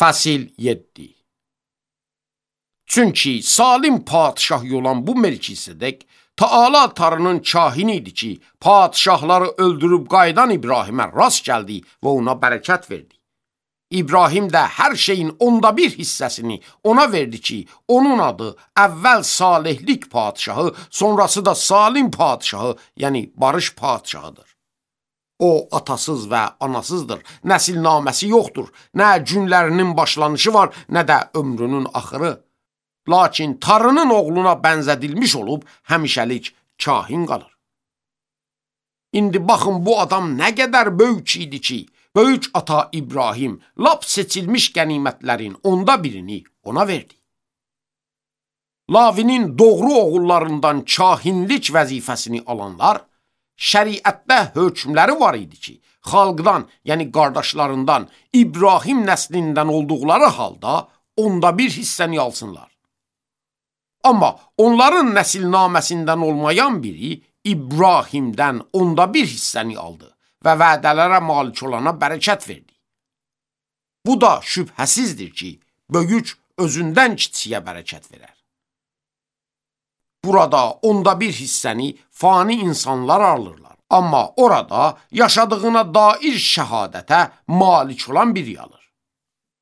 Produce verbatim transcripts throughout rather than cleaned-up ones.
Fəsil yeddi. Çünki salim padişah olan bu Melkisedek, Taala Tanrının kahini idi ki, padişahları öldürüb qaydan İbrahimə rast gəldi və ona bərəkət verdi. İbrahim də hər şeyin onda bir hissəsini ona verdi ki, onun adı əvvəl salihlik padişahı, sonrası da salim padişahı, yəni barış padişahıdır. O atasız və anasızdır, nəsilnaməsi yoxdur, nə günlərinin başlanışı var, nə də ömrünün axırı. Lakin Tanrının oğluna bənzədilmiş olub, həmişəlik kahin qalır. İndi baxın, bu adam nə qədər böyük idi ki, böyük ata İbrahim lap seçilmiş qənimətlərin onda birini ona verdi. Lavinin doğru oğullarından kahinlik vəzifəsini alanlar, şəriətdə hökmləri var idi ki, xalqdan, yəni qardaşlarından, İbrahim nəslindən olduqları halda onda bir hissəni alsınlar. Amma onların nəsilnaməsindən olmayan biri İbrahimdən onda bir hissəni aldı və vədələrə malik olana bərəkət verdi. Bu da şübhəsizdir ki, böyük özündən kiçiyə bərəkət verər. Burada onda bir hissəni fani insanlar alırlar. Amma orada yaşadığına dair şəhadətə malik olan biri alır.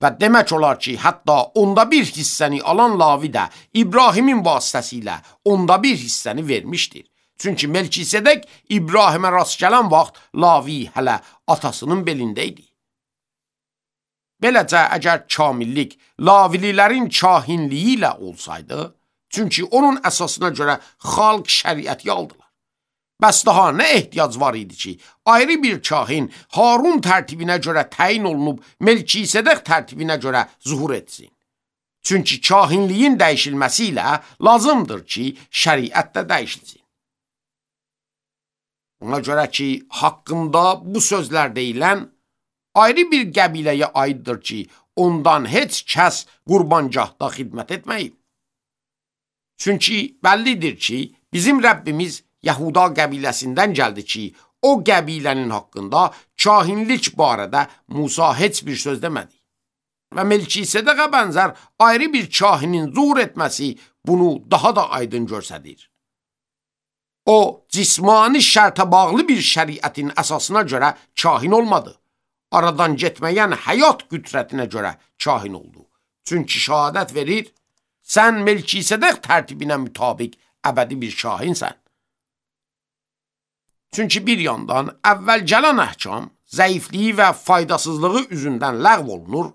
Və demək olar ki, hətta onda bir hissəni alan Lavi də İbrahimin vasitəsilə onda bir hissəni vermişdir. Çünki Melkisedek İbrahimə rast gələn vaxt Lavi hələ atasının belində idi. Beləcə, əgər kamillik Lavililərin kahinliyi ilə olsaydı, çünki onun əsasına görə xalq şəriəti aldılar. Bəs daha nə ehtiyac var idi ki, ayrı bir kahin Harun tərtibinə görə təyin olunub Melkisedek tərtibinə görə zuhur etsin. Çünki kahinliyin dəyişilməsi ilə lazımdır ki, şəriət də dəyişilsin. Ona görə ki, haqqında bu sözlər deyilən ayrı bir qəbiləyə aiddir ki, ondan heç kəs qurbangahda xidmət etməyib. Çünki bəllidir ki, bizim Rəbbimiz Yahuda qəbiləsindən gəldi ki, o qəbilənin haqqında kahinlik barədə Musa heç bir söz demədi. Və Melkisedekə bənzər ayrı bir kahinin zuhur etməsi bunu daha da aydın göstərir. O, cismani şərtə bağlı bir şəriətin əsasına görə kahin olmadı. Aradan getməyən həyat qüdrətinə görə kahin oldu. Çünki şəhadət verir, sən Melkisedek tərtibinə mütabiq əbədi bir kahinsən. Çünki bir yandan əvvəl gələn əhkam zəifliyi və faydasızlığı üzündən ləğv olunur,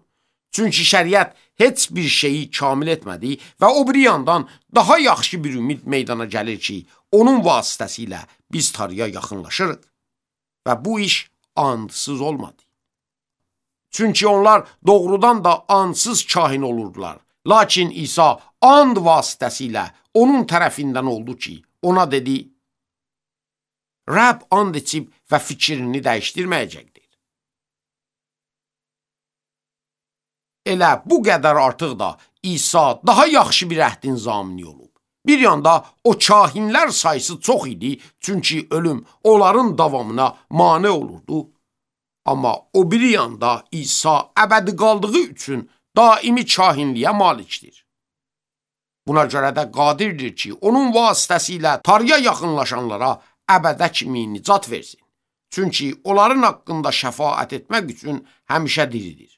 çünki şəriət heç bir şeyi kamil etmədi və o bir yandan daha yaxşı bir ümid meydana gəlir ki, onun vasitəsilə biz Tanrıya yaxınlaşırıq və bu iş andsız olmadı. Çünki onlar doğrudan da andsız kahin olurdular, lakin İsa and vasitəsilə onun tərəfindən oldu ki, ona dedi, Rəbb and içib və fikrini dəyişdirməyəcəkdir. Elə bu qədər artıq da İsa daha yaxşı bir əhdin zamini olub. Bir yanda o kahinlər sayısı çox idi, çünki ölüm onların davamına mane olurdu. Amma o bir yanda İsa əbədi qaldığı üçün daimi kahinliyə malikdir. Buna görə də qadirdir ki, onun vasitəsilə Tanrıya yaxınlaşanlara əbədə kimi nicat versin. Çünki onların haqqında şəfaət etmək üçün həmişə diridir.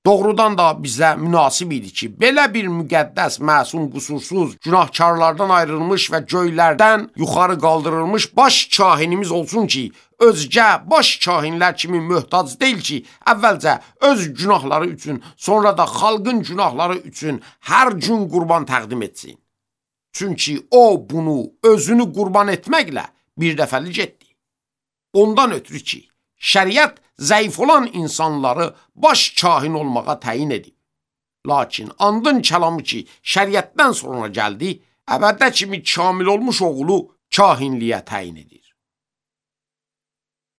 Doğrudan da bizə münasib idi ki, belə bir müqəddəs, məsum, qusursuz, günahkarlardan ayrılmış və göylərdən yuxarı qaldırılmış baş kahinimiz olsun ki, özgə baş kahinlər kimi möhtac deyil ki, əvvəlcə öz günahları üçün, sonra da xalqın günahları üçün hər gün qurban təqdim etsin. Çünki o bunu özünü qurban etməklə bir dəfəlik etdi. Ondan ötürü ki, şəriət zəif olan insanları baş kahin olmağa təyin edib. Lakin andın kəlamı ki, şəriətdən sonra gəldi, əbədə kimi kamil olmuş oğlu kahinliyə təyin edir.